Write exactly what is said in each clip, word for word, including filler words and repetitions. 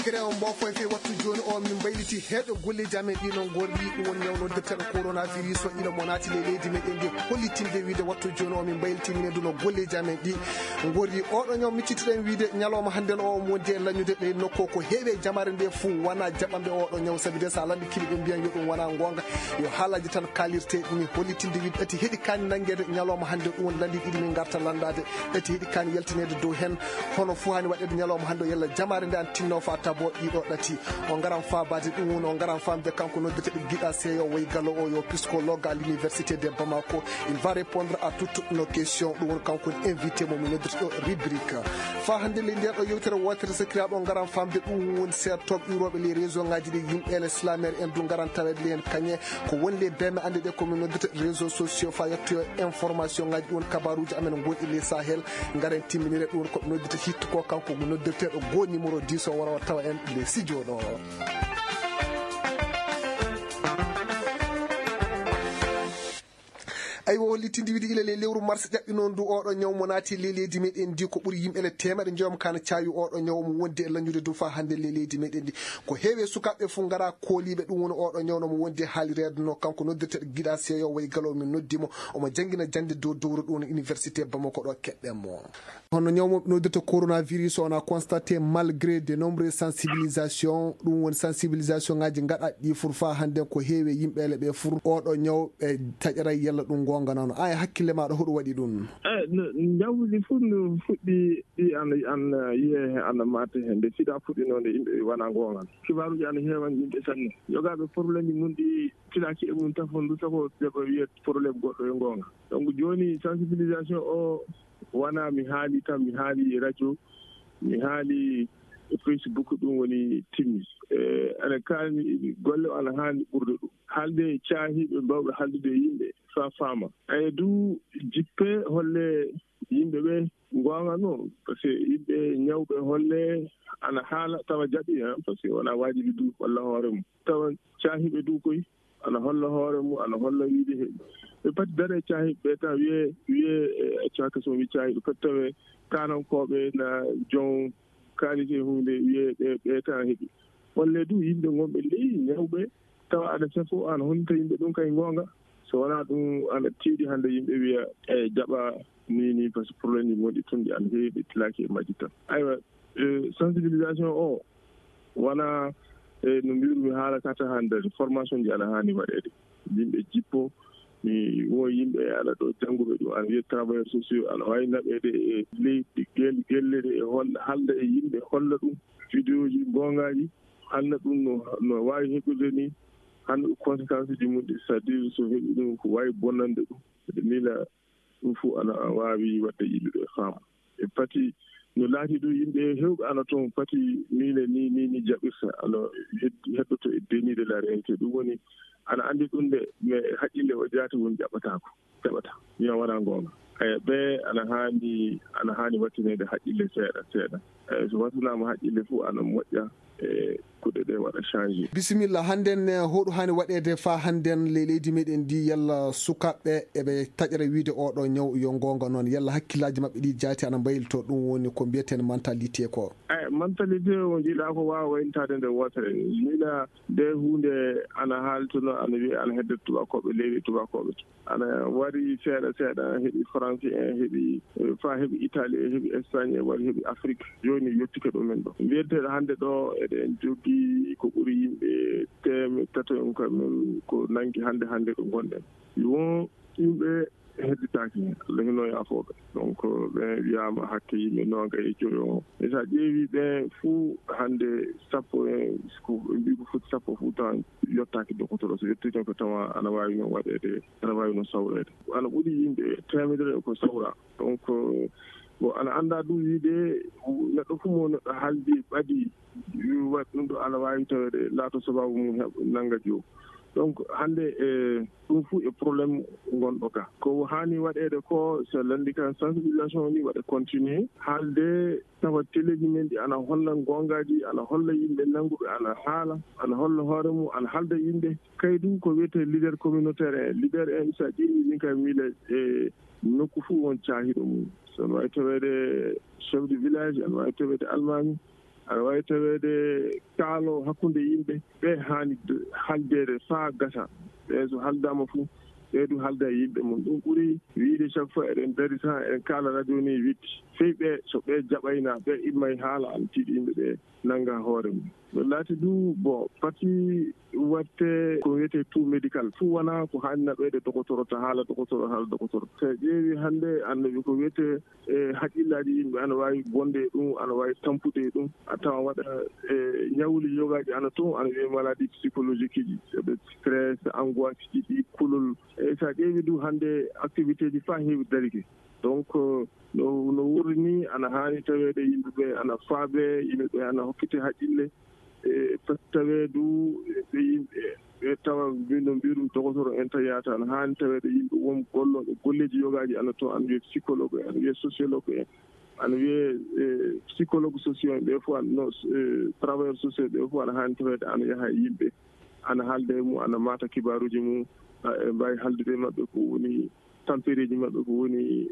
Kere on mbo foy fe wattu jooni o min mbayliti heeɗo golleeji amen ɗi no ngorri ɗum woni ñaw noddirteeɗo coronavirus o ila mo naati ley leydi meɗen ndi hollitinde wiide wattu jooni o min mbayliti minen du no golleeji amen ɗi ngorri oɗo ñaw miccitiɗen wiide ñalawma hannden o omo wondi e lañude ɗe nokko ko heewi e jamaare nde fuu wona jaɓanɓe oɗo ñaw sabi de so a lanndi kili ɓe mbiyan yo ɗum wona ngoonga yo haalaji tan kalirte ɗumi hollitinde wiide ɗati heɗi kaani nanngeede ñalawma hannde ɗum woni lanndi ɗiɗi min ngarta lanndaade ɗati heɗi kaani yaltineede dow heen hono fuu haani waɗeede ñalawma hannde o yalla jamaare nde an tinno fa tabo ɗiɗo ɗati o ngaran faabaade ɗum woni o ngaran famde kanko noddeteɗo giɗa seeyo woy galo o yo psychologue à l'université de bamako il va répondre à toutes nos questions ɗum woni kanko woni invité mo mi noddeteɗo rubrique fa hannde ley nden ɗo yewtere wootere sakiraaɓe o ngaran famde ɗum woni seertooɓe iwrooɓe ley réseau ngaji ɗi yimɓe le slamere en du ngaran taweede le heen kañe ko woni le beme annde ɗe komin noddata réseau sociaux fa yettoyo information ngaji ɗum woni kabaruji amen gonɗi le sahel ngaren timminire ɗum woni koɓe noddata hitto ko kanko noddirteɗo go numéro dix o wara o tawa en le studio ɗo. Aywa, hollitinde wiide ila ley lewru mars ƴaɓɓi noon ndu oɗo ñaw mo naati ley leydi meɗen ndi ko ɓuri yimɓe le teemeɗe joom kana caawi oɗo ñaw mo wondi e lañude du fa hannde ley leydi meɗen ndi ko heewi e sukaaɓe fof ngara kooliiɓe ɗum woni oɗo ñaw no mo wondi e haalireede no kanko noddirteɗo giɗa seeyo way galo min noddi mo omo janngina jannde dow dowro ɗum woni université bamako ɗo keɗɗen mo hono ñawmoɓe noddirta coronavirus on a constaté malgré de nombreux sensibilisation ɗum woni sensibilisation ngaji gaɗaɗi ɗi fur fa hannden ko heewi e yimɓeele ɓe fur oɗo ñaw ɓe taƴaray yalla ɗum gonga noon a e hakkille maɗa hoɗum waɗi ɗum e no njawdi fof no fuɗɗi ɗi ana ana yiye he ana mate he nde sida fuɗɗinode yimɓe wona gongal kibaruji ana heewan yimɓe sanne yogaaɓe problème ji mum ɗi tilaki e mum tafon ndu sako ɓe ko wiyet problème goɗɗo e gonga donc joni sensibilisation o wona mi haali tan mi haali e radio mi haali e facebook ɗum woni timmi e ana kaani golle o ana haani ɓurde ɗum haalde caahiiɓe mbawɓe haaldude e yimɓe fa faama aya du jippe holle yimɓe ɓe goonga noon par ce que yimɓe ñawɓe holle ana haala tawa jaɓi par ce que wona waajibi du walla hoore mum tawa caahiiɓe du koy ana holla hoore mum ana holla wiide he ɓe pati dare caahiiɓe ɓe tan wiye wiye e accaka so wi caahiiɓe pati tawe kanankooɓe na jon kaalite hunde wiye ɓe ɓe tan heɓi holle du yimɓe gonɓe ley ñawɓe tawa aɗa safo an honta yimɓe ɗum kay goonga so wona ɗum aɗa tiiɗi hannde yimɓe wiya e jaɓa ni ni par ce que problème ji gonɗi tun ɗi ana heewi ɓe tilaki e majji tan aywa sensibilisation o wona e no mbirumi haala kata hannde formation ji ana haani waɗeede yimɓe jippo mi wo yimɓe ana ɗo jannguɓe ɗum ana wiya travailleur sociaux ana wawi naɓeede e leydi gelle ɗe e halda e yimɓe holla ɗum vidéo ji gongaji hannde ɗum no no wawi heɓirde ni hannde ɗum conséquence ji mum ɗi c'est à dire so heɓi ɗum ko wawi bonnande ɗum mbeɗa miila ɗum fof ana wawi wadde yimɓe ɓe faama e pati no laati ɗum yimɓe hewɓe ana toon pati miile ni ni ni jaɓirta ano heddoto e déni de la réalité ɗum woni ana anndi ɗum de mais haqqille o jaati woni jaɓataako jaɓata mi wona goonga eyi ɓe ana haani ana haani wattineede haqqille seeɗa seeɗa eyi so wattanaama haqqille fof ana moƴƴa e kuɗe ɗe waɗa changé bisimilla hannden hoɗu haani waɗeede fa hannden ley leydi meɗen ndi yalla sukaaɓe eɓe taƴra wiide oɗo ñaw yo goonga noon yalla hakkillaaji maɓɓe ɗi jaati ana mbaylito ɗum woni ko mbiyeten mentalité ko eyi mentalité o jiɗa ko waawa wayntaade nde wootere miɗa nde huunde ana haaltuno ana wiye ana hedde tubakooɓe leydi tubakooɓe ana wari seeɗa seeɗa heɓi français en heɓi fa heɓi italie heɓi espagne wari heɓi afrique joni yettike ɗumen ɗo mbiyeteɗo hannde ɗo eɗen jogii ko ɓuri yimɓe teme tato en kamen ko nangi hannde hannde ɗo gonɗen won yimɓe hedditaaki heen allah hino yaafooɓe donc ɓe wiyaama hakke yimɓe nooga e joyo on e so a ƴeewi ɓe fuu hannde sappo en ko ɓe mbii ko foti sappo fuu tan yottaaki dokotoro so yettii tan ko tawa ana waawi noon waɗeede ana waawi noon sawreede ana ɓuri yimɓe teemedere ko sawra donc bon ana anndaa ɗum wiide neɗɗo fof mo neɗɗo haaldi ɓadi waɗ ɗum ɗo ana waawi taweede laato sabaabu mum heɓ nannga joom donc hannde e ɗum fof e problème ngonɗo ka ko haani waɗeede ko so lanndi kan sensibilisation ni waɗa continuer haalde tawa teleji men ɗi ana holla goongaaji ana holla yimɓe nannguɓe ana haala ana holla hoore mum ana haalda yimɓe kay du ko wiyetee leader communautaire en leader en so a ƴeewi min kay miila e nokku fof won caahiiɗo mum so no waawi taweede chef de village ana waawi taweede almaami Aɗa waawi taweede kaalo hakkunde yimɓe, ɓe haani d-, haldeede faa gasa. Ɓe so haldaama fof, ɓe du halda e yimɓe mum. Ɗum ɓuri wiyde chaque fois eɗen dari tan, eɗen kaala radio ni witti. Sey ɓe, so ɓe jaɓayna, ɓe immay haala, ana tiiɗi yimɓe ɓe nannga hoore mum. No laati du, bon, pati waɗte ko wiyetee tout médical. Fuu wonaa ko haani naɓeede dokotoro, ta haala dokotoro, haala dokotoro. So a ƴeewi hannde, annabi ko wiyetee e haqqillaaji yimɓe ana waawi bonde e ɗum, ana waawi tampude e ɗum. A tawan waɗa e ñawli yogaaji ana toon, ana wiyee maladie psychologique ji, ɓe stress, angoisse ji, ɗi kulol. E so a ƴeewi du hannde activité ji faa heewi darike. Donc, no, no wuuri ni, ana haani taweede yimɓe ɓe ana faabe, yimɓe ɓe ana hokkite haqqille. E pati tawee du ɓe yimɓe ɓe tawa mbi-, no mbiirum dokotoro en tan yaata, ana haani taweede yimɓe won gollooɓe golleeji yogaaji ana toon, ana wiyee psychologue en, ana wiyee sociologue en, ana wiyee, e, psychologue sociaux en, ɓe fof ana, no, e, travailleur sociaux ɓe fof ana haani taweede ana yaha e yimɓe, ana haalda e mum, ana maata kibaaruuji mum, a, e mbaawi haaldude e maɓɓe ko woni tampereeji maɓɓe, ko woni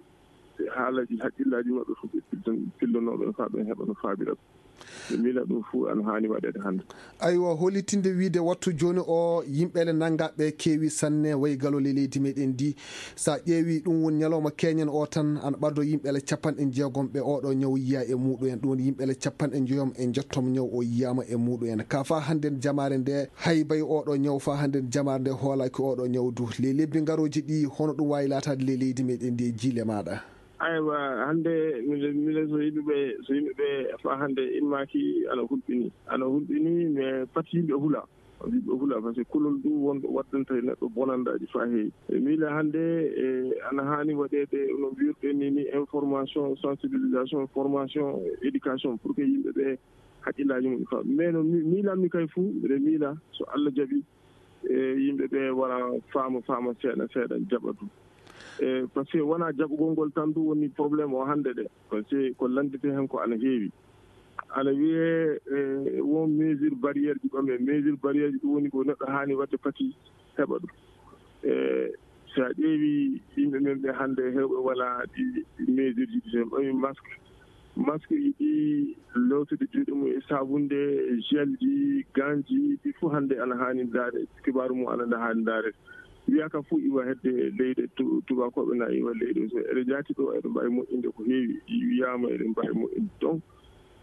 haalaaji haqqillaaji maɓɓe fof, ɓe pilton-, pillonooɓe faa ɓe heɓa no faabira. Ɓe miila ɗum fof ana haani waɗeede hannde. Aywa, hollitinde wiyde wattu jooni o, yimɓe le nanngaaɓe keewi sanne, wayi galo le leydi meɗen ndi. So a ƴeewi, ɗum woni ñalawma keñen o tan, ana ɓadoo yimɓe le capanɗe jeegom ɓe oɗo ñaw yiya e muɗum en. Ɗum woni yimɓe le capanɗe njoyom e njettom ñaw o yiyaama e muɗum en. Ka faa hannden jamaare nde, hay bay oɗo ñaw faa hannden jamaare nde hoolaaki oɗo ñaw du. Ley lebbi ngarooji ɗi, hono ɗum waawi laataade ley leydi meɗen ndi e jiile maaɗa? Aywa, hannde mile, mile so yimɓe ɓe, so yimɓe ɓe faa hannde immaaki ana hulɓini. Ana hulɓini, mais pati yimɓe hula. Yimɓe hula, parce que kulol du wonɗo waddanta e neɗɗo bonandaaji faa heewi. E miila hannde, e, ana haani waɗeede no mbiirɗen ni, ni information, sensibilisation, formation, éducation, pour que yimɓe ɓe haqqillaaji mum faa. Mais no mi-, miilanmi kay fuu, mbiɗa miila so Allah jaɓi, e, yimɓe ɓe wara faama, faama seeɗa, seeɗa jaɓa du. E, parce que wonaa jaɓugol ngol tan du woni problème o hannde de. Parce que ko lanndete heen ko ana heewi. Ana wiyee, e, won mesure barrière ji ɓame. Mesure barrière ji ɗum woni ko neɗɗo haani waɗde pati heɓa ɗum. E, so a ƴeewi yimɓe men ɓe hannde heewɓe wala ɗi, ɗi mesure ji, so en ɓami masque, masque yiɗi lootde juuɗe mum e saabunde, gel ji, gants ji, ɗi fof hannde ana haani ndaare, kibaaru mum ana nda haani ndaare. Wiyaa ka fof iwa hedde leyɗe tu-, tubaakooɓe na iwa leyɗe. So eɗen njaati ɗo, eɗen mbaawi moƴƴinde ko heewi. Wiyaama eɗen mbaawi moƴƴinde. Donc,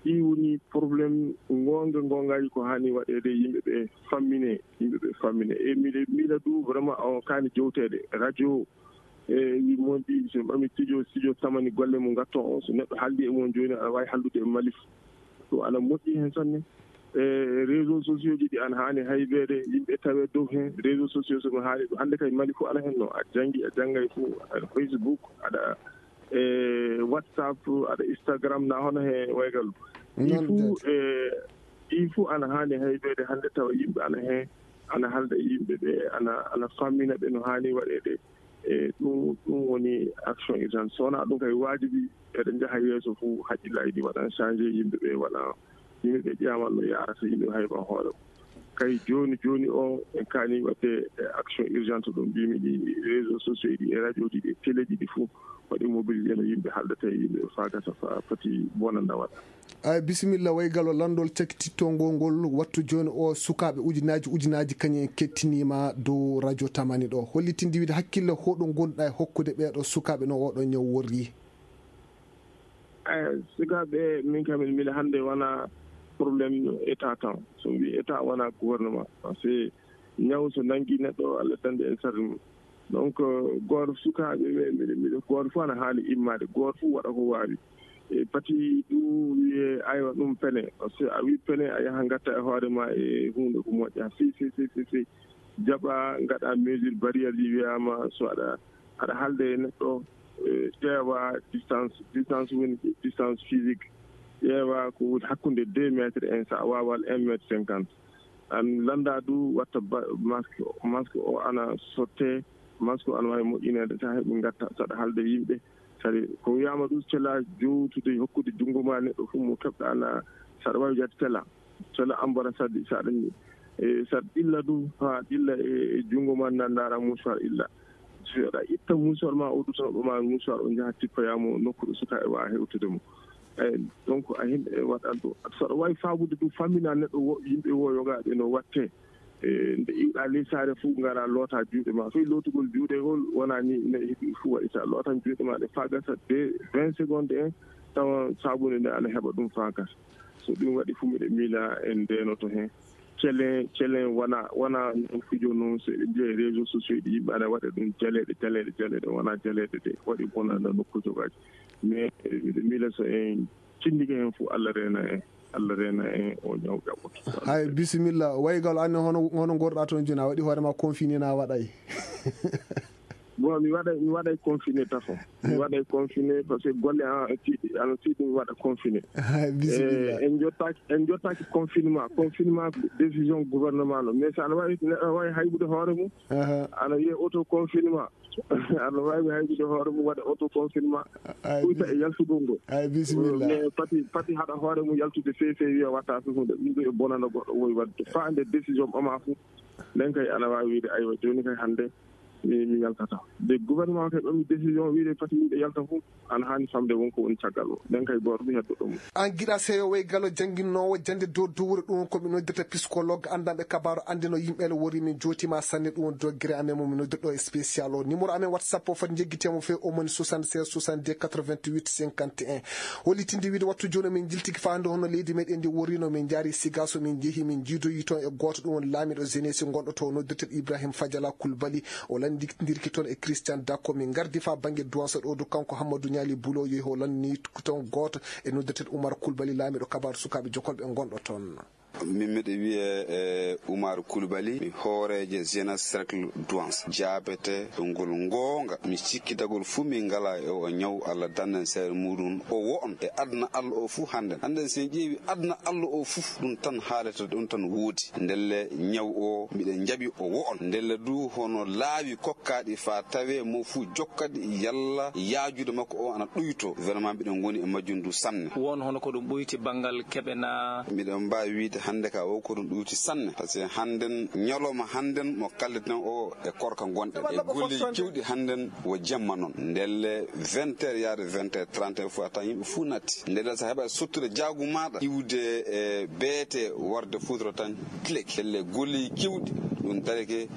ɗi woni problème goonga goongaaji ko haani waɗeede, yimɓe ɓe fammine, yimɓe ɓe fammine. E miɗe miila du, vraiment, o kaani jowteede. Radio, e, wi mon ɗi, so ɓami studio, studio tamani golle mum ngatton o, so neɗɗo haaldi e mon jooni, aɗa waawi haaldude e Mali fof. Ɗum ana moƴƴi heen sanne. E, réseaux sociaux ji ɗi ana haani haybeede, yimɓe tawe dow heen. Réseaux sociaux so mi haali ɗum, hannde kay Mali fof ana heen no. A janngi, a janngay fof, aɗa Facebook, aɗa, e, WhatsApp, aɗa Instagram, na hono he waygal. Ɗi fof, e, ɗi fof ana haani haybeede hannde tawa yimɓe ana heen, ana haalda e yimɓe ɓe, ana, ana fammina ɓe no haani waɗeede. E ɗum, ɗum woni action urgente. So wonaa ɗum kay, waajibi eɗen njaha yeeso fof, haqqillaaji ɗi waɗan changé, yimɓe ɓe waɗa, yimɓe ɓe ƴeewaama no yaarata, yimɓe hayba hoore mum. Kay jooni jooni o, en kaani waɗde e action urgente ɗum mbimi ɗi, réseaux sociaux ɗi, e radio ji ɗi, e télé ji ɗi fof, waɗi mobilisé no yimɓe haaldata e yimɓe faa gasa faa poti bonanda waɗa. Ay, bisimilla, waygal o lanndol cakititto ngol ngol wattu jooni o, sukaaɓe ujunaaji ujunaaji kañum en kettiniima dow radio Tamani ɗo. Hollitinde wiide hakkille hoɗum ngonɗa e hokkude ɓeeɗo sukaaɓe no oɗo ñaw worri? Ay, sukaaɓe, min kam, miɗo miila hannde wona problème état tan. So mi wii état, wona gouvernement. Parce que ñaw so nanngi neɗɗo, Allah dande en sarde mum. Donc, euh, gooto sukaaɓe ɓe, miɗo, miɗo, gooto fof ana haani immaade, gooto fof waɗa ko waawi. E pati ɗum wiyee, aywa, ɗum pene. Parce que a wii pene, a yaha ngatta e hoore ma e huunde ko moƴƴa. Si, si, si, si, si. Jaɓa, ngaɗa mesure barrière ji, wiyaama so aɗa, aɗa haalda e neɗɗo, e, ƴeewa distance, distance woni distance physique. Ƴeewa ko woni hakkunde deux mètres en, so a waawaa un mètre cinquante. An lannda du watta ba-, masque o. Masque o ana sotte, masque o ana waawi moƴƴineede, so a heɓi ngatta, so aɗa haalda e yimɓe. Kadi ko wiyaama du, cela jowtude, hokkude junngo ma neɗɗo fof mo keɓɗa na, so aɗa waawi jaade cela. Cela ambassade, so aɗa, e, so aɗa ɗilla du, haa ɗilla e, e junngo ma, na ndaara mouchoir illa. So aɗa itta mouchoir ma, o dutanooɗo ma mouchoir, o njaha tippoyaa mo nokku ɗo sukaaɓe waawa hewtude mo. Eyi, donc a himɓe waɗat ɗum. Saɗa wawi fabude ɗum, fammina neɗɗo wo, yimɓe wo yogaaɓe no watte. E, nde iwɗa ley saare fof, ngara loota juuɗe ma. Fii lootugol juuɗe ngol, wona ni ne heɓi fof waɗi. Sa lootan juuɗe ma ɗe faa gasa de vingt secondes en, tawa sabunde nde ana heɓa ɗum faa gasa. So ɗum waɗi fof, miɗo miila en ndeenoto heen. Celen, celen wona, wona noon fijo noon, so eɗen mbiya e réseaux sociaux ɗi, yimɓe ana waɗa ɗum jaleeɗe, jaleeɗe, jaleeɗe, wona jaleeɗe de, waɗi bonanda nokkuuji waaji. Mais miɗo miila so en cindike heen fof, Allah reena en, Allah reena en o ñaw ƴaɓɓoto. Hay bisimilla, waygal anne hono, hono ngorɗa toon jooni, a waɗi hoore ma confiné na waɗay? Bon, mi waɗay, mi waɗay confiné tafo. Mi waɗay confiné parce que golle an, tiiɗi, ano tiiɗi mi waɗa confiné. Hay bisimilla. Eh, en jottaaki, en jottaaki confinement. Confinement ko décision gouvernement no. Mais so ana wawi, neɗɗo ana wawi haybude hoore mum. Aha. Ana wiye auto confinement. Ana wawi haybude hoore mum, waɗa auto confinement. Ay, ɓuyta bis-, e yaltugol ngol. Ay, bisimilla. Mais pati, pati haɗa hoore mum yaltude fewi fewi, wiya watta fi hunde. Ɗum ɗo e bonana goɗɗo wowi waɗde. Faa nde décision ɓama fof. Nden kay ana wawi wiide, aywa, jooni kay hannde mi, mi yaltata. Nde gouvernement kay ɓami décision wiide pati yimɓe yalta fof, ana haani famde won ko woni caggal o. Nden kay gooto fof heddo ɗum. An giɗa seyo way galo jannginnoowo jannde dow dowre ɗum ko mi noddirta psychologue anndanɓe kabaaru anndino yimɓe ele wori min jootima sanne ɗum doggere amen mo mi noddirɗo e spécial o. Numéro amen WhatsApp o foti jeggitemo fe o moni soixante-seize soixante-deux quatre-vingt-huit cinquante et un. Hollitinde wiide wattu jooni min jiltiki faande hono leydi meɗen ndi worrino min jaari Sigaso min jeehi min jiidoyi toon e gooto ɗum woni laamiɗo jeunesse gonɗo to noddirtel Ibrahim Fadiala Koulibaly. O lanndirki toon e Christian Dako. Min ngardi faa bannge Douance ɗo du kanko Hammadou Niali Boulo yehi o lanni toon gooto e noddirtel Oumar Koulibaly laamiɗo kabaaru sukaaɓe jokolɓe gonɗo toon. Min miɗo wiyee e Oumar Koulibaly, mi hooreejo jeunesse cercle Douance. Jaabete e ngol goonga. Mi sikkitagol fuu min ngalaa e o ñaw, Allah dannden seere muɗum. O wo'on e aduna Allah o fuu hannden. Hannden so en ƴeewi aduna Allah o fuu, ɗum tan haalete, ɗum tan woodi. Ndelle ñaw o, miɗen njaɓi o wo'on. Ndelle du, hono laawi kokkaaɗi faa tawee mo fuu jokkaɗi yalla yaajude makko o ana ɗuyto. Vraiment, miɗen ngoni e majjum du sanne. Won hono ko ɗum ɓoyti banngal keɓe na? Miɗen mbaawi wiyde hannde ka o ko ɗum ɗuuti sanne. Parce que hannden, ñalawma hannden mo kalleten o e korka ngonɗen. E golleeji keewɗi hannden wo jemma noon. Ndelle vingt heures yaade vingt heures trente fof a tawan yimɓe fof natti. Ndelle so a heɓa sottude jaagu maaɗa, iwde e beete warde foudre tan, clic. Ndelle golleeji keewɗi ɗum darike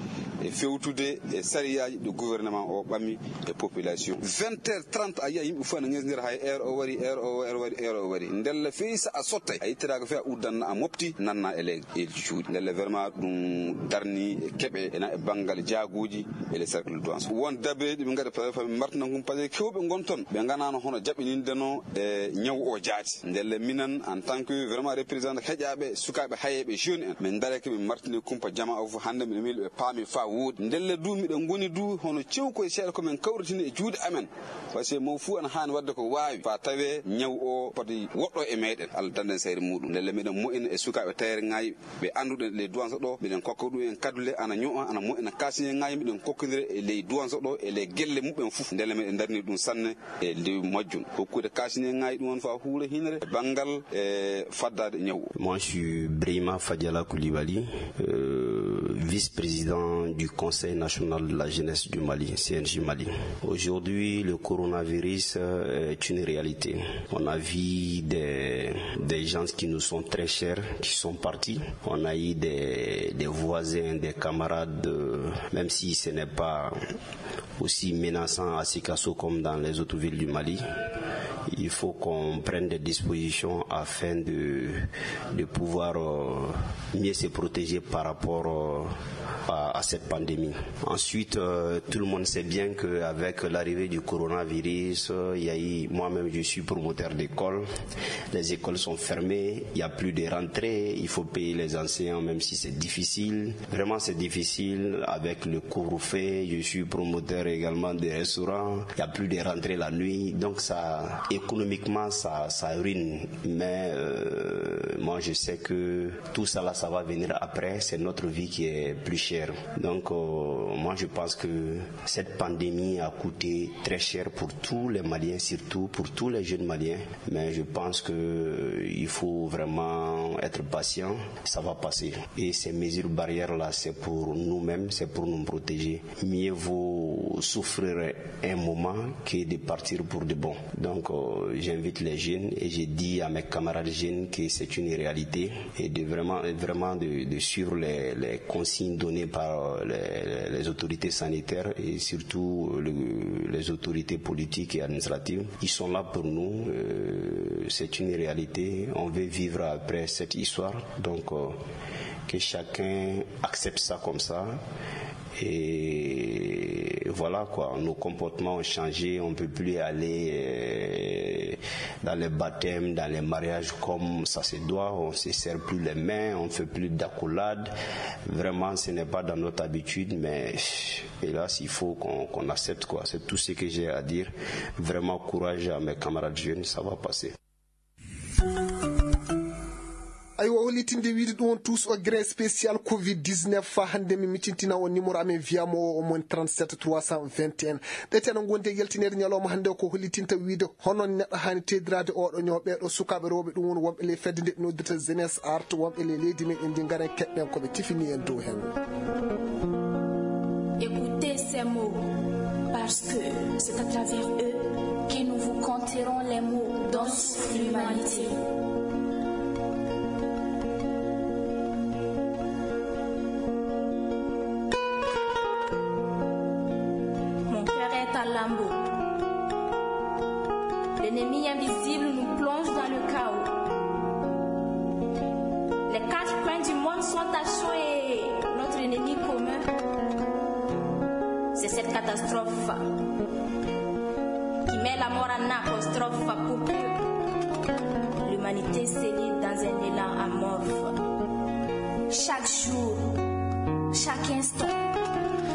e fewtude e sariyaaji ɗi gouvernement o ɓami e population. Vingt heures trente a yiya yimɓe fof ana ŋesndira hay heure o wari, heure o wari, heure o wari. Ndelle fii so a sottay, a ittiraaka fii a uddanna a mofti, nanna e ley, e cuuɗi. Ndelle vraiment ɗum darni e keɓe ena e banngal jaaguuji e les cercles de Douance. Won dabeeji ɓe ngaɗa par exemple martina gum, parce que kewɓe ngon toon, ɓe nganaano hono jaɓɓinindeno e ñaw o jaati. Ndelle minen, en tant que vraiment représentant heƴaaɓe, sukaaɓe hayeeɓe, jeune en, min ndareke min martini kumpa jamaa o fof. Hannde miɗo miili ɓe paami faa wooɗi. Ndelle du, miɗo ngoni du, hono cewkoy seeɗa ko min kawritini e juuɗe amen. Parce que mo fuu ana haani waɗde ko waawi, faa tawee ñaw o poti woɗɗo e meɗen. Allah dannden sayre muɗum. Ndelle miɗen mo'ina e sukaaɓe tayereŋaaji ɓe annduɗen ley Douance ɗo, miɗen kokka ɗum en kadule, ana ño'a, ana mo'ina kaasineŋaaji, miɗen kokkondira e ley Douance ɗo, e ley gelle muɓɓen fof. Ndelle miɗen ndarni ɗum sanne e ley majjum. Hokkude kaasineŋaaji ɗum on faa huura hinere e banngal e faddaade ñaw o. Moi, je suis Brahima Fadiala Koulibaly, euh, vice-président du Conseil national de la jeunesse du Mali, C N J Mali. Aujourd'hui, le coronavirus, euh, est une réalité. On a vu des, des gens qui nous sont très chers, qui sont partis. On a eu des, des voisins, des camarades, euh, même si ce n'est pas aussi menaçant à Sikasso comme dans les autres villes du Mali. Il faut qu'on prenne des dispositions afin de, de pouvoir, euh, mieux se protéger par rapport, euh, à, à cette pandémie. Ensuite, euh, tout le monde sait bien qu'avec l'arrivée du coronavirus, euh, il y a eu, moi-même, je suis promoteur d'école. Les écoles sont fermées, il n'y a plus de rentrée, il faut payer les enseignants, même si c'est difficile. Vraiment, c'est difficile avec le couvre-feu. Je suis promoteur également de restaurants. Il n'y a plus de rentrée la nuit. Donc, ça, économiquement, ça, ça ruine. Mais, euh, moi, Je sais que tout ça là, ça va venir après. C'est notre vie qui est plus chère. Donc, euh, moi, je pense que cette pandémie a coûté très cher pour tous les Maliens, surtout pour tous les jeunes Maliens. Mais je pense que, euh, il faut vraiment être patient. Ça va passer. Et ces mesures barrières là, c'est pour nous-mêmes, c'est pour nous protéger. Mieux vaut souffrir un moment que de partir pour de bon. Donc, euh, j'invite les jeunes et j'ai dit à mes camarades jeunes que c'est une réalité et de vraiment, vraiment de, de suivre les, les consignes données par, euh, les, les autorités sanitaires et surtout le, les autorités politiques et administratives. Ils sont là pour nous. Euh, c'est une réalité. On veut vivre après cette histoire. Donc, euh, que chacun accepte ça comme ça. Et voilà quoi, nos comportements ont changé, on ne peut plus aller, euh, dans les baptêmes, dans les mariages comme ça se doit, on ne se serre plus les mains, on ne fait plus d'accolades. Vraiment, ce n'est pas dans notre habitude, mais hélas, il faut qu'on qu'on accepte quoi. C'est tout ce que j'ai à dire. Vraiment, courage à mes camarades jeunes, ça va passer. Aywa, hollitinde wiide ɗum on tous o grain spécial covid dix-neuf, fa hannde mi micintina on numéro amen wiyamo o omon trente-sept trois cent vingt et un. Ɓe teno gonde yaltinede ñalawma hannde o ko hollitinta wiide hono neɗɗo hani teddiraade oɗo ñaw. Ɓeɗo sukaaɓe rewɓe ɗum woni wonɓe ley fedde nde noddirta jeunesse art, wonɓe ley leydi men indi ngaren keɗɗen koɓe tifini en dow hen. Écoutez ces mots, parce que c'est à travers eux que nous vous conterons les mots dont souffre l'humanité. Mon cœur est à lambeaux. L'ennemi invisible nous plonge dans le chaos. Les quatre coins du monde sont à chaud et notre ennemi commun, c'est cette catastrophe qui met la mort en apostrophe pour que l'humanité se lie dans un élan amorphe. Chaque jour, chaque instant,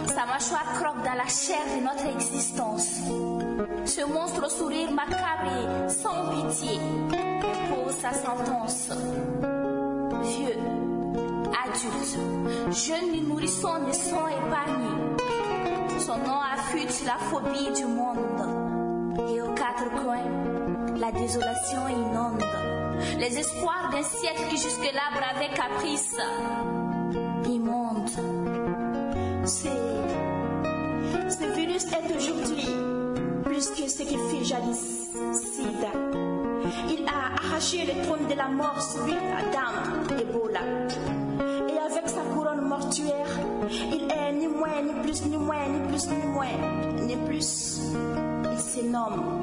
sa mâchoire croque dans la chair de notre existence. Ce monstre au sourire macabre et sans pitié impose sa sentence. Vieux, adultes, jeunes et nourrissons ne sont épargnés. Son nom affûte la phobie du monde. Et aux quatre coins, la désolation inonde les espoirs d'un siècle qui jusque-là bravait caprice immonde. C'est, ce virus est aujourd'hui plus que ce qu'il fut jadis. Sida. Il a arraché le trône de la mort sur l'île Adam, Ebola. Et avec sa couronne mortuaire, il est ni moins, ni plus, ni moins, ni plus, ni moins, ni plus. Il se nomme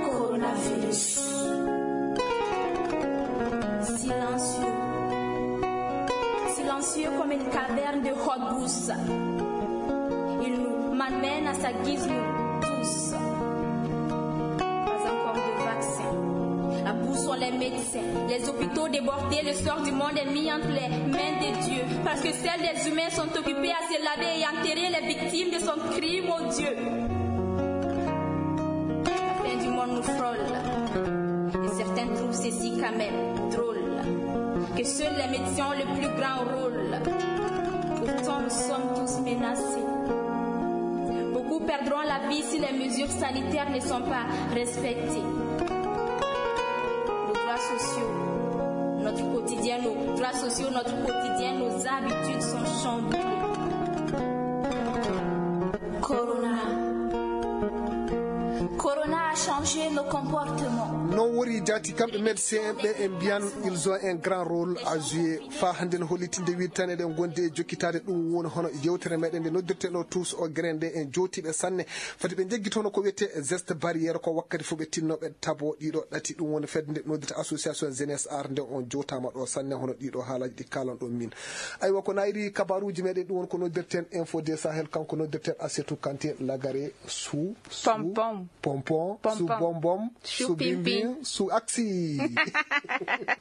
coronavirus. Silencieux. Silencieux comme une caverne de haute brousse. Il nous malmène à sa guise, nous tous. Pas encore de vaccin. À bout sont les médecins. Les hôpitaux débordés, le sort du monde est mis entre les mains de Dieu. Parce que seuls des humains sont occupés à se laver et enterrer les victimes de son crime odieux. La fin du monde nous frôle. Et certains trouvent ceci quand même drôle. Que seuls les médecins ont le plus grand rôle. Pourtant, nous sommes tous menacés. Beaucoup perdront la vie si les mesures sanitaires ne sont pas respectées. Nos droits sociaux, notre quotidien, nos droits sociaux, notre quotidien, nos habitudes sont chamboulées. Corona. Corona a changé nos comportements. Non wori jaati kamɓe médecin en ɓe en mbiyan ils ont un grand rôle à jouer. Fa hannde no hollitinde wiide tan eɗen gondi e jokkitaade ɗum woni hono yewtere meɗen nde noddirten o tous o grain nde en jootiiɓe sanne. Fati ɓe njeggitono ko wiyetee geste barrière ko wakkati fof ɓe tinno ɓe tabo ɗiɗo ɗati ɗum woni fedde nde noddirta association jeunesse art nde on jowtaama ɗo sanne hono ɗiɗo haalaji ɗi kalan ɗon min. Aywa ko nayri kabaruji meɗen ɗum woni ko noddirten info de sahel kanko noddirten asetu kantin lagare sou pom pom. Pon, su Pompon. Bombom, su Su Pimpin. Bimbin, su Aksi.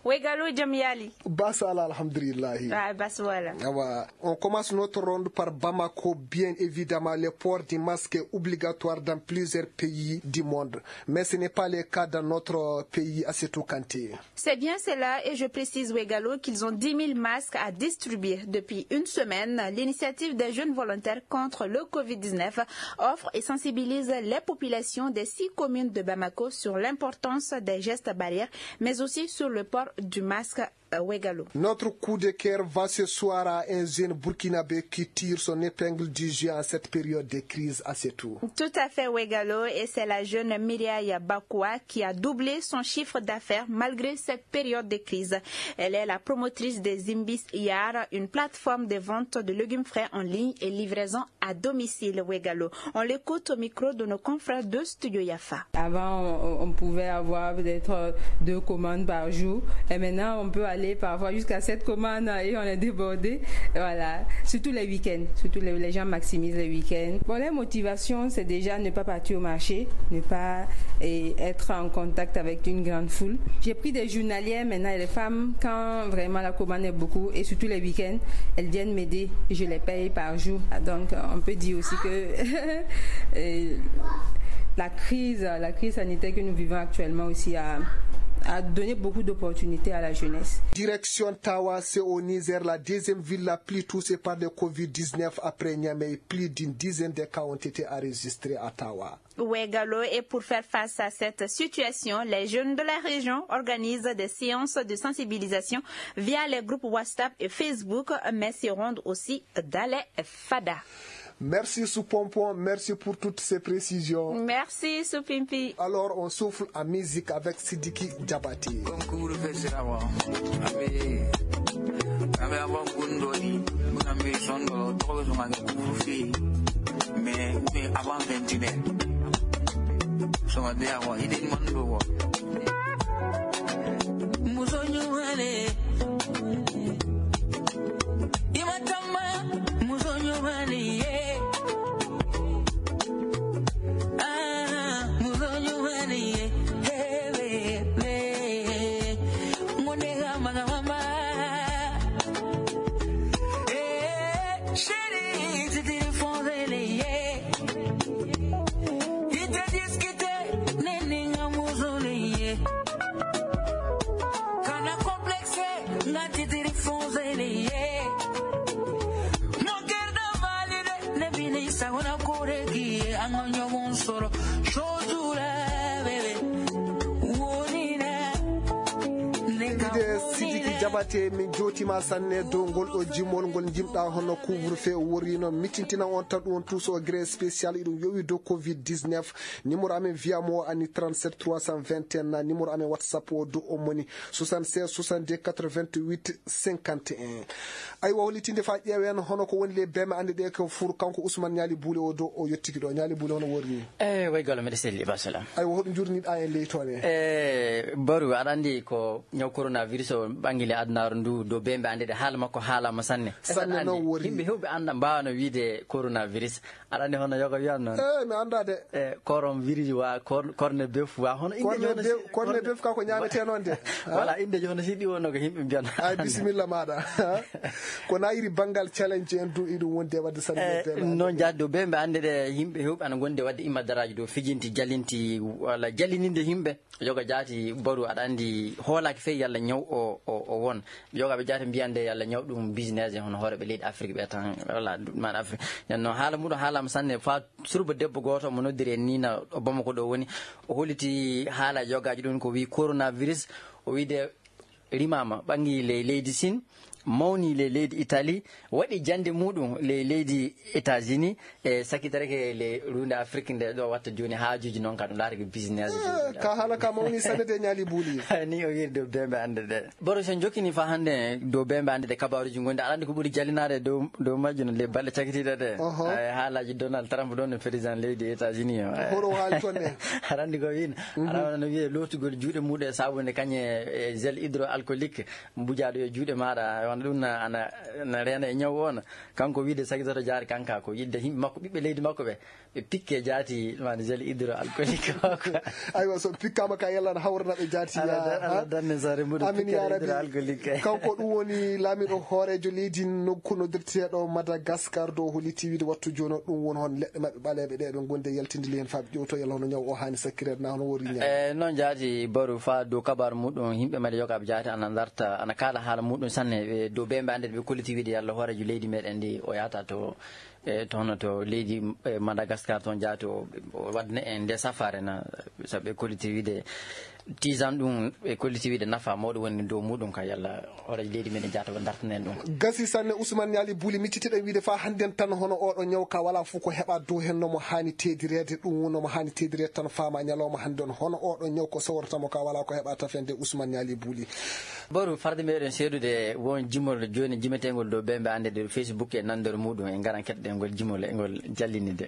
Wegalo jam yali. Bas ala alhamdulillahi. Ah, bas wala. Awa, on commence notre ronde par Bamako. Bien évidemment, le port du masque est obligatoire dans plusieurs pays du monde. Mais ce n'est pas le cas dans notre pays, Assetou Kanté. C'est bien cela et je précise, Wegalo, qu'ils ont dix mille masques à distribuer depuis une semaine. L'initiative des jeunes volontaires contre le covid dix-neuf offre et sensibilise les populations des six communes de Bamako sur l'importance des gestes barrières, mais aussi sur le port du masque, euh, Wegalo. Notre coup de cœur va ce soir à un jeune burkinabé qui tire son épingle du jeu en cette période de crise, Assetou. Tout à fait, Wegalo, et c'est la jeune Mireille Bakoua qui a doublé son chiffre d'affaires malgré cette période de crise. Elle est la promotrice des Imbis Yar, une plateforme de vente de légumes frais en ligne et livraison à domicile, Wegalo. On l'écoute au micro de nos confrères de Studio Yafa. Avant, on, on pouvait avoir peut-être deux commandes par jour. Et maintenant, on peut aller parfois jusqu'à sept commandes et on est débordé. Voilà. Surtout les week-ends. Surtout les, les gens maximisent les week-ends. Bon, les motivations, c'est déjà ne pas partir au marché, ne pas, eh, être en contact avec une grande foule. J'ai pris des journalières maintenant. Et les femmes, quand vraiment la commande est beaucoup, et surtout les week-ends, elles viennent m'aider. Je les paye par jour. Ah, donc, euh, on peut dire aussi que, euh, la crise, la crise sanitaire que nous vivons actuellement aussi a, a donné beaucoup d'opportunités à la jeunesse. Direction Tawa, c'est au Niger, la deuxième ville la plus touchée par le covid dix-neuf après Niamey. Plus d'une dizaine de cas ont été enregistrés à Tawa. Wegalo, et pour faire face à cette situation, les jeunes de la région organisent des séances de sensibilisation via les groupes WhatsApp et Facebook, mais se rendent aussi dans les fada. Merci Sou Pompon, merci pour toutes ces précisions. Merci Sou Pimpi. Alors on souffle en musique avec Sidiki Diabaté. Concours festival. Abe, abe avant kundo di, kuna me sondo, toko so ma kufi. Mais, mais avant vingt et une heures. So ma de avant, il est monde. Muso ɲuman de. I ma tama, muso ɲuman de ye. Ah, muso ɲuman de ye. Hey, baby. Ngonde ga maga mama. Eh, chérie, tu te défends, yeah. I tɛ discuter, ne ni n ka muso de ye. Kana complexe, n ka titiri fɔnsɔn de ye. Mon cœur de valide, ne bi ni sagona kore k'i ye, an ka ɲɔgɔn sɔrɔ. Jojo la, baby. Woni na, ne ka Ide woni Sidiki na. Jabate, min jootima sanne dow ngol ɗo jimol ngol jimɗa hono couvre-feu worrino. Mitintina on tan ɗum on tous au gré spécial, iɗum yowi dow covid dix-neuf. Numéro amen via mo ani trente-sept trois cent vingt et un, numéro amen WhatsApp o dow o moni soixante-seize soixante-deux quatre-vingt-huit cinquante et un. Aywa, hollitinde fa ƴeewen hono ko woni le beme ande ɗe ko fur kanko Ousmane Ñaali Buule o dow o yettiki ɗo. Ñaali Buule hono worri? Eh, way galo mbiɗa selli, ba salam. Aywa, hoɗum jurniɗa en ley toon e? Eh, Baru, aɗa andi ko ñaw coronavirus o ɓangi le adunaaru ndu, dow bembe ande ɗe haala makko haalama sanne. Sanne. Aɗa andi, noon worri. Yimɓe hewɓe anda, mbawano wiide coronavirus. Aɗa andi hono yoga wiyan noon? Eh, mi anda de. Eh, korom virus wa, kor-, corne bœuf wa, hono inde Corne jono bœuf, si-, corne corne bœuf ka ko ñaamete noon de. Voilà, inde jono si ɗi wonno ko yimɓe mbiyana. Ay, bisimilla maɗa. Ko na iri bangal challenge en du iɗum wonde wadde sanne. Eh, bembe noon ande. Jaadi dow bembe ande ɗe yimɓe hewɓe ana gonde wadde imma daraji dow fijinti, jalinti, walla jalininde yimɓe. Yoga jaati Baru, aɗa andi hoolaki fey yalla ñaw o, o, o won. Yoga ɓe jaati mbiyande yalla ñaw ɗum business e hono hooreɓe leydi Afrique ɓe tan, walla man Afrique. Nden noon haala muɗum haalama sanne fa surba debbo gooto mo noddiri en ni na ɗo Bamako ɗo woni. O holliti haala yogaji ɗum ko wi coronavirus. O wiide rimama ɓangi ley leydi Sin, mawni ley leydi Italie, waɗi jande muɗum ley leydi États-Unis, e sakitorake ley runde Afrique nde ɗo watta joni haajuji noon ka ɗum laatake business. Eh, ka haala ka mawni sanne de Ñaali Buuli. Ni o wiiri dow bembe ande ɗe. Boro sen jokkini fa hande dow bembe ande ɗe kabaruji gonɗi, aɗa andi ko ɓuri jalinaade dow, dow majjum le balle cakitiiɗe ɗe. Oho. Ay, haalaji Donald Trump ɗon e président leydi États-Unis o. Ay. Horo haali toon ɗe. Aɗa andi ko wiin. Mhm. Aɗa wona no wiye lootugol juuɗe muɗum e sabunde kañe e gel hydro Alcoolique, mbujaaɗo e juuɗe maaɗa, wano ɗum na, ana, na reena e ñaw on. Kanko wiide sagitoto jaari kanka, ko yidde yimɓe makko, ɓiɓɓe leydi makko ɓe, ɓe pikke jaati, maani gel hydroalcoolique o ko. Aywa, so pikkaama ka yalla ana hawrana ɓe jaati, Ala ya, dan-, ala ha? Danne sare mbuɗo Amin, pikkere ya Rabbi. Hydroalcoolique. Kanko ɗum woni laamiɗo hooreejo leydi nokku noddirteeɗo Madagascar dow holiti wiide wattu jooni o, ɗum woni hon leɗɗe maɓɓe ɓaleeɓe ɗe ɓe gonde yaltinde lehen faa ɓe ƴewto yalla hono ñaw o haani sakkireede na hono wori ñaw. E, noon jaati baru faa dow kabaru muɗum, yimɓe mbaɗi yoga ɓe jaati ana darta, ana kaala haala muɗum sanne, ɓe dow ɓe mbe annde ɓe kolliti wiide yalla hooreejo leydi meɗen ndi o yaata to, e, to hono to leydi, e, Madagascar toon jaati o, o waɗne en nde safare na, sabu ɓe kolliti wiide tiisan ɗum, ɓe kolliti wiide nafa mawɗo woni dow muɗum ka yalla hooreejo leydi meɗen jaata o dartanen ɗum. Gasi sanne Ousmane Niali Bouli, miccitiɗen wiide faa hannden tan hono oɗo ñaw ka wala fof ko heɓa dow hen no mo haani teedireede, ɗum no mo haani teedireede tan faama ñalawma hannden hono oɗo ñaw ko sowrata mo ka wala ko heɓa tafende Ousmane Niali Bouli. Boru farde meɗen seedude won jimol jooni jimeteengol dow ɓe mbe annde dow Facebook e nanndere muɗum e ngaran keɗɗen ngol jimol e ngol jallinide.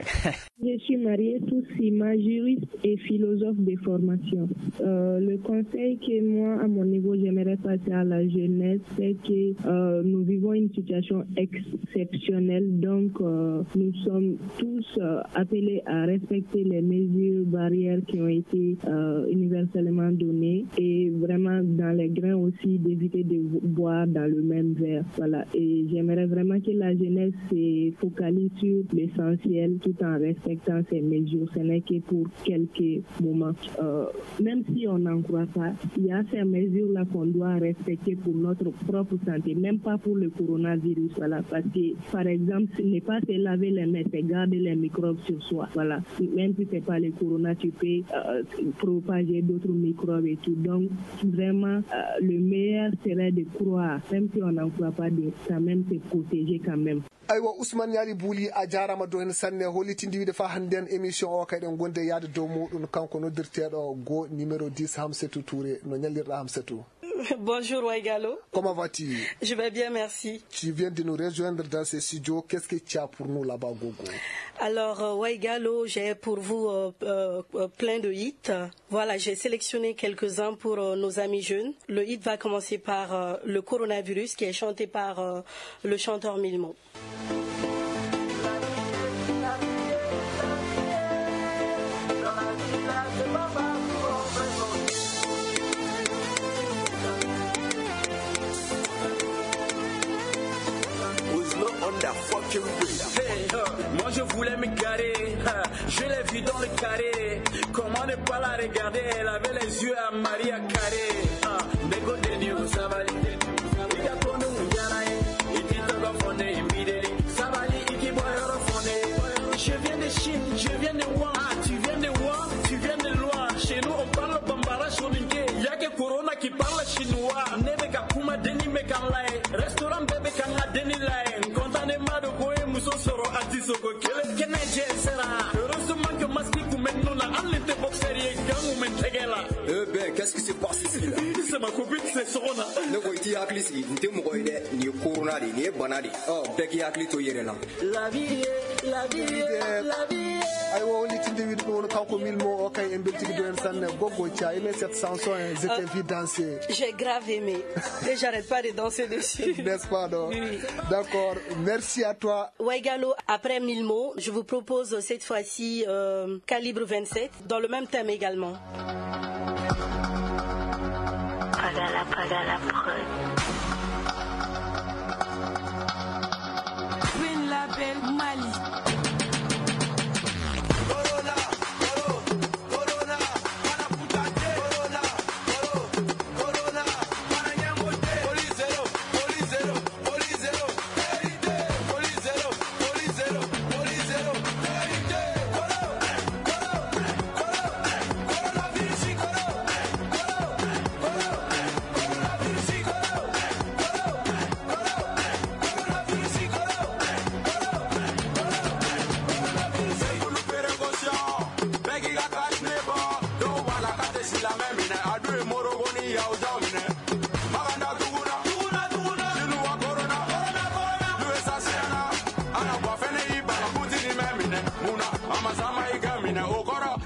Je suis mariée, tous six mois, juriste et philosophe de formation. Euh, le conseil que moi, à mon niveau, j'aimerais passer à la jeunesse, c'est que, euh, nous vivons une situation exceptionnelle. Donc, euh, nous sommes tous, euh, appelés à respecter les mesures barrières qui ont été, euh, universellement données et vraiment dans les grains aussi d'éviter de vo-, boire dans le même verre. Voilà. Et j'aimerais vraiment que la jeunesse se focalise sur l'essentiel tout en respectant ces mesures. Ce n'est que pour quelques moments. Euh, même si on n'en croit pas, il y a ces mesures-là qu'on doit respecter pour notre propre santé, même pas pour le coronavirus. Voilà, parce que, par exemple, ce n'est pas se laver les mains, c'est garder les microbes sur soi. Voilà, même si c'est pas le corona, tu peux, euh, propager d'autres microbes et tout. Donc, vraiment, euh, le meilleur serait de croire, même si on n'en croit pas, de quand même se protéger quand même. Aywa, Ousmane Niali Bouli, a jaaraama dow heen sanne. Hollitinde wiide faa hannden émission o kay ɗen gonde yaade dow muɗum, kanko noddirteeɗo go numéro dix, Hamsetou Touré. No ñallirɗa, Hamsetou? Bonjour Waigalo. Comment vas-tu? Je vais bien, merci. Tu viens de nous rejoindre dans ces studios. Qu'est-ce que tu as pour nous là-bas, Gogo? Alors, euh, Waigalo, j'ai pour vous, euh, euh, euh, plein de hits. Voilà, j'ai sélectionné quelques-uns pour, euh, nos amis jeunes. Le hit va commencer par, euh, le coronavirus qui est chanté par, euh, le chanteur Milmo. Who's not on the fucking bridge? Hey, uh, moi je voulais me garer, uh, je l'ai vue dans le carré. Comment ne pas la regarder? Elle avait les yeux à Maria Carré. Uh, Nego Daniel Savali. Ika kono mujana, eh. Iti togo fone immediately. Savali, iki boyoro fone. Je viens de Chine, je viens de Wuhan. Ah, tu viens de Wuhan, tu viens de loin. Chez nous, on parle bambara, soninké. Y a que Corona qui parle chinois. Nebe ka kuma deni me kan lai. Restaurant bebe kan a deni lai. Konta ne mado ko e muso soro ati soko kele. Kene je sera. Heureusement que masque ku men nuna. Alinte boxer ye gangu men tegela. Eh ben, qu'est-ce qui se passe ici là? C'est ma copine, c'est Sona. Ne ko iti hakili sigi, n tɛ mɔgɔ ye dɛ. Nin ye corona de ye, nin ye bana de ye. Ɔ, bɛɛ k'i hakili to i yɛrɛ la. Labi ye, labi ye, labi ye. Aywa, o litinde wiɗo ɗo woni kanko Milmo o kay en beltiki do en sanne. Gogo, tu as aimé cette chanson, hein, je t'ai vu danser. J'ai grave aimé. Et j'arrête pas de danser dessus. N'est-ce pas, non? Oui. D'accord, merci à toi. Waigalo, après Milmo, je vous propose cette fois-ci, euh, Calibre vingt-sept, dans le même thème également. Pagala, pagala, prod. Green Label Mali.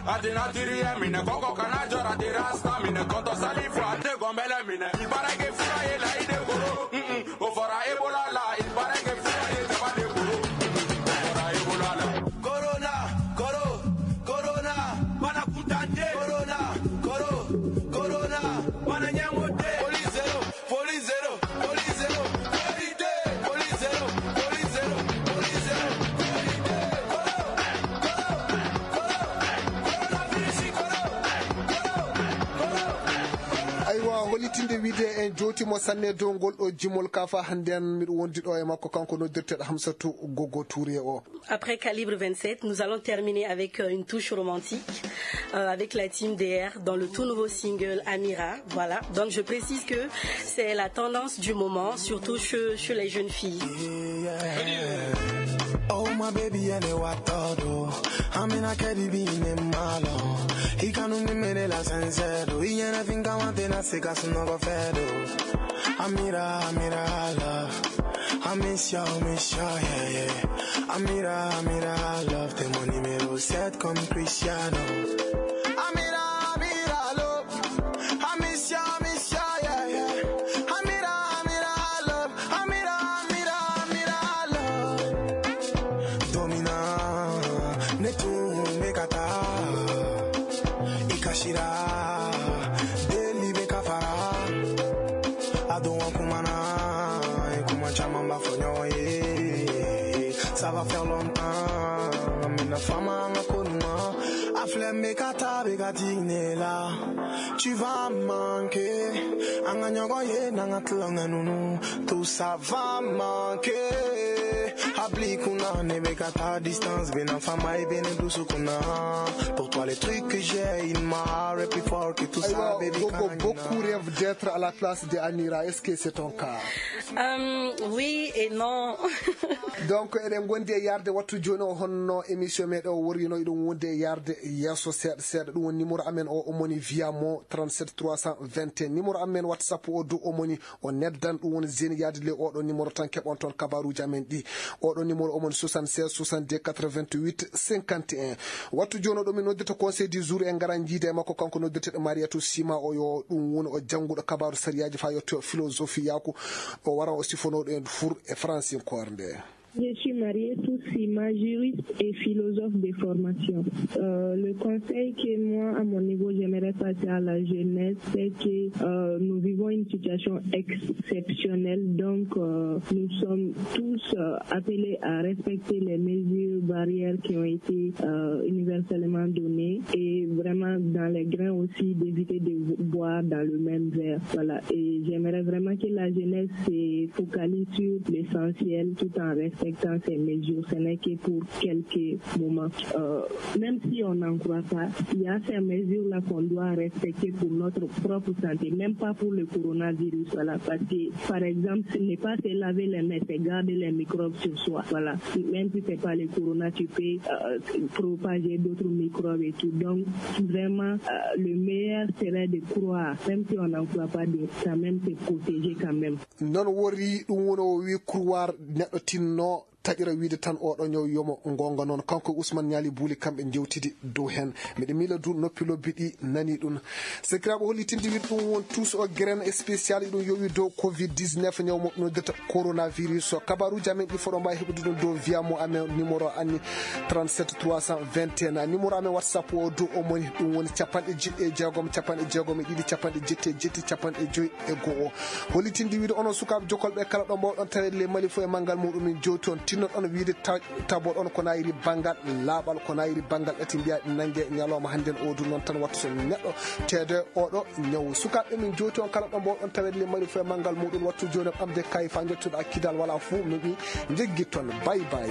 Atina tiri ye mine koko kana jɔra tira sta mine kɔtɔ sali fo a tɛ gɔ Mbele mine, il paraît que fura ye la ide koro. Mm-mm. O fɔra Ebola la, il paraît que fura ye jaba de koro. Mm-mm. O fɔra Ebola la. Corona, coro, corona, mana kuntante. Corona, coro, corona, mana nyamote. Folie zéro, folie zéro, folie zéro, folie zéro, folie zéro, folie zéro, folie zéro, folie zéro, coro, coro, coro, coronavirus, coro, coro, coro. Aywa, hollitinde wiide en jowti mo sanne dow ngol ɗo jimol ka fa hannden miɗo wondi ɗo e makko, kanko noddirteɗo Hamsatou Gogo Touré o. Après Calibre vingt-sept, nous allons terminer avec euh, une touche romantique euh, avec la team D R dans le tout nouveau single Amira. Voilà. Donc je précise que c'est la tendance du moment, surtout chez, chez les jeunes filles. Oh my baby, ene wattoɗo. Amina kadi bi ne malo. Ikanu ni mene la sensero. Iyana finga wante na seka sunogo fedo. Amira, Amira, love. I miss you, I miss you, yeah, yeah. Amira, Amira, love. T'es mon numéro sept comme Cristiano. Amira, Amira, love. I miss you, I miss you, yeah, yeah. Amira, Amira, love. Amira, Amira, Amira, love. Domina, netu mekata. Ikashira, deli bekafara. Ado wa kumana, e kuma chama mba fonyo, eh. Ça va faire longtemps, mina fama nga konuma. Afle mekata bekatinela. Tu vas manquer. Anga nyogo ye nanga tlanga nunu. Tout ça va manquer. Habli kuna nebe kata distance. Bena fama e bene dusu kuna. Pour toi, les trucs que j'ai, il m'a plus fort que tout ça, baby. Gogo, beaucoup rêvent d'être à la place de Amira. Est-ce que c'est ton cas? Euh, oui et non. Donc eɗen gondi e yarde wattu joni o, honno émission meɗen o worrino, iɗum wonde e yarde yeeso seeɗa seeɗa. Ɗum woni numéro amen o, omoni via mo trente-sept trois cent vingt et un. Numéro amen WhatsApp o du omoni o neddan, ɗum woni zeni yaade le oɗo numéro tan, keɓon toon kabaruji amen ɗi. Oɗo numéro omoni soixante-seize soixante-deux quatre-vingt-huit cinquante et un. Wattu joni o ɗo min noddita conseil du jour, en ngara jiida e makko, kanko noddirteɗo Mariatou Sima o, yo ɗum woni o jannguɗo kabaru sariyaji fa yetto philosophie yaku, o wara o sifonoɗo en fur e francinkoore nde. Je suis Mariatou Sima, juriste et philosophe de formation. Euh, le conseil que moi, à mon niveau, j'aimerais passer à la jeunesse, c'est que euh, nous vivons une situation exceptionnelle. Donc, euh, nous sommes tous euh, appelés à respecter les mesures barrières qui ont été euh, universellement données et vraiment dans les grains aussi d'éviter de boire dans le même verre. Voilà. Et j'aimerais vraiment que la jeunesse se focalise sur l'essentiel tout en respectant ces mesures. Ce n'est que pour quelques moments. Euh, même si on n'en croit pas, il y a ces mesures-là qu'on doit respecter pour notre propre santé, même pas pour le coronavirus. Voilà, parce que, par exemple, ce n'est pas se laver les mains, c'est garder les microbes sur soi. Voilà, même si c'est pas le corona, tu peux euh, propager d'autres microbes et tout. Donc, vraiment, euh, le meilleur serait de croire, même si on n'en croit pas, de quand même se protéger quand même. Noon wori ɗum woni o wi kurwar neɗɗo tinno taƴira wiide tan oɗo ñaw yomo gonga noon. Kanko e Ousmane Ñaali Buuli kamɓe jewtidi dow heen. Miɗo miila du noppi lobbi ɗi nani ɗum. Sakiraaɓe, hollitinde wiide ɗum won tous o graine spécial iɗum yowi dow covid dix-neuf, ñaw mo ɓe noddirta coronavirus. So kabaruuji amen ɗi foɗo mbaawi heɓude ɗum dow via mo amen numéro anni trente-sept trois cent vingt et un. Numéro amen WhatsApp o dow o moni ɗum woni capanɗe jeeɗiɗi e jeegom capanɗe jeegom e ɗiɗi capanɗe jeetti e jeetti capanɗe joyi e go'o. Hollitinde wiide onon sukaaɓe jokolɓe kala ɗo mbawɗon taweede ley Mali fof e manngal muɗum, min jowti on tinnoɗon wiide ta-, taboɗon ko nayri banngal laaɓal, ko nayri banngal ɗati mbiya ɗi nannge ñalawma hannden o du noon tan wattu so neɗɗo teede oɗo ñawu. Sukaaɓe min jowti on kala ɗo mbawɗon taweede ley Mali fof e manngal muɗum wattu jooni ɓamde kay fa njottuɗa kidal wala fuu mi ɓi njeggitton. Bay bay.